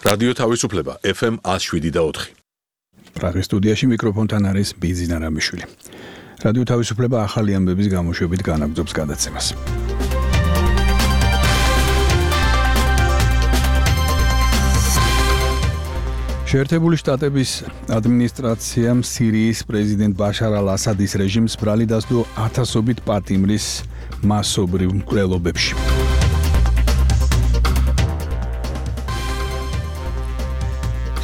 რადიო თავისუფლება FM 107.4. პრაღის სტუდიაში მიკროფონთან არის ბიზინა რამიშვილი. რადიო თავისუფლება ახალი ამბების გამოშვებით განაგრძობს გადაცემას. შეერთებული შტატების ადმინისტრაციამ სირიის პრეზიდენტ ბაშარ ალ-ასადის რეჟიმს ბრალი დასდო ათასობით პატიმრის მასობრივ მკვლელობებში.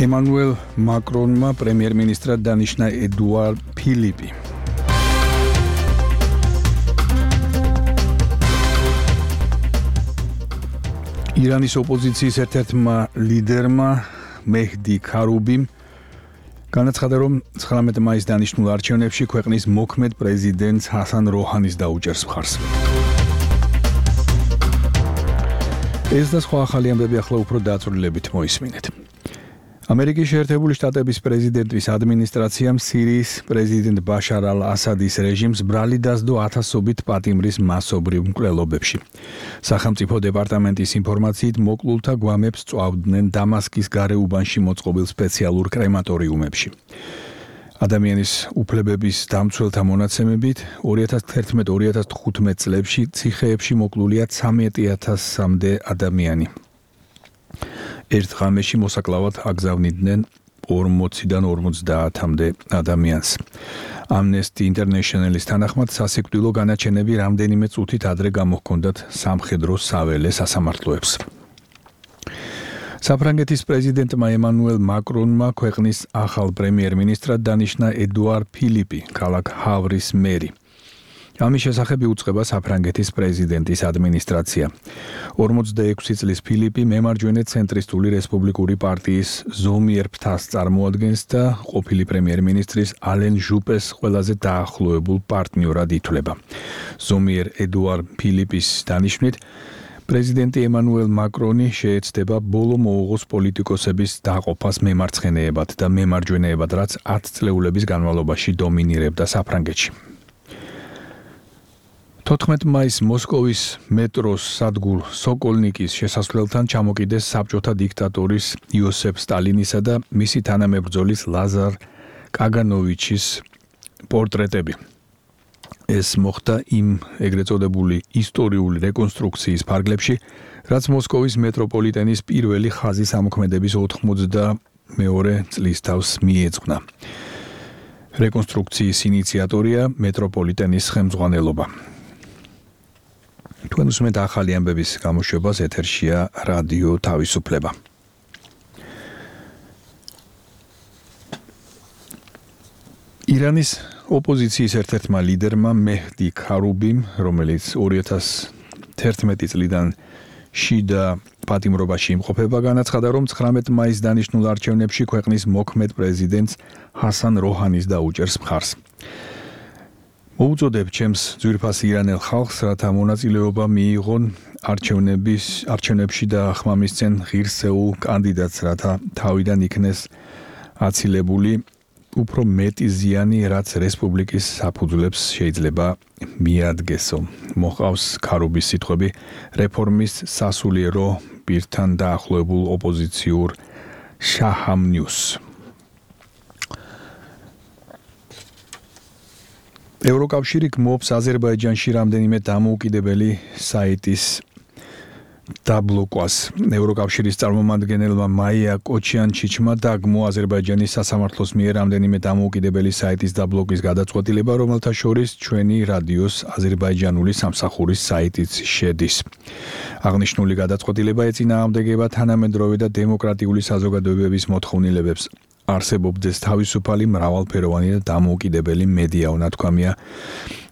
ემანუელ მაკრონმა პრემიერ-მინისტრად დანიშნა ედუარ ფილიპი. ირანის ოპოზიციის ერთ-ერთმა ლიდერმა მეჰდი ქარუბიმ განაცხადა, რომ 19 მაისს დანიშნულ არჩევნებში ქვეყნის მოქმედ პრეზიდენტს ჰასან როჰანის დაუჭერს მხარს. ეს და სხვა ახალი ამბები ახლა უფრო დაწვრილებით მოისმინეთ. ამერიკის შეერთებული შტატების პრეზიდენტის ადმინისტრაციამ სირიის პრეზიდენტ ბაშარ ალ-ასადის რეჟიმს ბრალი დასდო ათასობით პატიმრის მასობრივ მკვლელობებში. სახელმწიფო დეპარტამენტის ინფორმაციით მოკლულთა გვამებს წვავდნენ დამასკის გარეუბანში მოწყობილ სპეციალურ კრემატორიუმებში. ადამიანის უფლებების დამცველთა მონაცემებით 2011-2015 წლებში ციხეებში მოკლულია 13,000-მდე ადამიანი. ერთ ღამეში მოსაკლავად აგზავნიდნენ 40-დან 50-მდე ადამიანს. Amnesty International-ის თანახმად სასიკვდილო განაჩენები რამდენიმე წუთით ადრე გამოჰქონდათ სამხედრო საველე სასამართლოებს. საფრანგეთის პრეზიდენტმა ემანუელ მაკრონმა ქვეყნის ახალ პრემიერ-მინისტრად დანიშნა ედუარ ფილიპი, ქალაქ ჰავრის მერი. ამის შესახებ იუწყება საფრანგეთის პრეზიდენტის ადმინისტრაცია. 46 წლის ფილიპი მემარჯვენე ცენტრისტული რესპუბლიკური პარტიის ზომიერ ფრთას წარმოადგენს და ყოფილი პრემიერ-მინისტრის ალენ ჟუპეს ყველაზე დაახლოებულ პარტნიორად ითვლება. ზომიერ ედუარ ფილიპის დანიშვნით პრეზიდენტი ემანუელ მაკრონი შეეცდება ბოლო მოუღოს პოლიტიკოსების დაყოფას მემარცხენეებად და მემარჯვენეებად, რაც 10 წლეულების განმავლობაში დომინირებდა საფრანგეთში. 14 მაისს მოსკოვის მეტროს სადგურ სოკოლნიკის შესასვლელთან ჩამოკიდეს საბჭოთა დიქტატორის იოსებ სტალინისა და მისი თანამებრძოლის ლაზარ კაგანოვიჩის პორტრეტები. ეს მოხდა იმ ეგრეთ წოდებული ისტორიული რეკონსტრუქციის ფარგლებში, რაც მოსკოვის მეტროპოლიტენის პირველი ხაზის ამოქმედების 92 წლის თავს მიეძღვნა. რეკონსტრუქციის ინიციატორია მეტროპოლიტენის ხელმძღვანელობა. თქვენ უსმენთ ახალი ამბების გამოშვებას, ეთერშია რადიო თავისუფლება. ირანის ოპოზიციის ერთ-ერთმა ლიდერმა მეჰდი ქარუბიმ, რომელიც 2011 წლიდან შიდა პატიმრობაში იმყოფება, განაცხადა, რომ 19 მაისს დანიშნულ არჩევნებში ქვეყნის მოქმედ პრეზიდენტს ჰასან როჰანის დაუჭერს მხარს. მოუწოდებ ჩემს ძვირფას ირანელ ხალხს, რათა მონაწილეობა მიიღონ არჩევნებში და ხმამისცენ ღირსეულ კანდიდატს, რათა თავიდან იქნეს აცილებული უფრო მეტი ზიანი, რაც რესპუბლიკის საფუძვლებს შეიძლება მიადგესო. მოყავს ქარუბის სიტყვები რეფორმის სასულიერო პირთან დაახლოებულ ოპოზიციურ შაჰამ ნიუს. ევროკავშირი გმობს აზერბაიჯანში რამდენიმე დამოუკიდებელი საიტის დაბლოკვას. ევროკავშირის წარმომადგენელმა მაია კოჩიანჩიჩმა დაგმო აზერბაიჯანის სასამართლოს მიერ რამდენიმე დამოუკიდებელი საიტის დაბლოკვის გადაწყვეტილება, რომელთა შორის ჩვენი რადიოს აზერბაიჯანული სამსახურის საიტიც შედის. აღნიშნული გადაწყვეტილება ეწინააღმდეგება თანამედროვე და დემოკრატიული საზოგადოებების მოთხოვნილებებს. არსებობდეს თავისუფალი, მრავალფეროვანი და დამოუკიდებელი მედია, უნათქვამია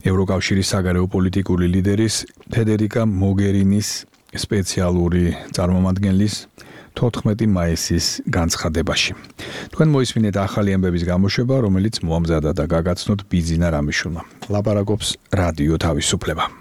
ევროკავშირის საგარეო პოლიტიკური ლიდერის ფედერიკა მოგერინის სპეციალური წარმომადგენლის 14 მაისის განცხადებაში. თქვენ მოისმინეთ ახალი ამბების გამოშვება, რომელიც მოამზადა და გაგაცნოთ ბიზინა რამიშვილმა. ლაპარაკობს რადიო თავისუფლება.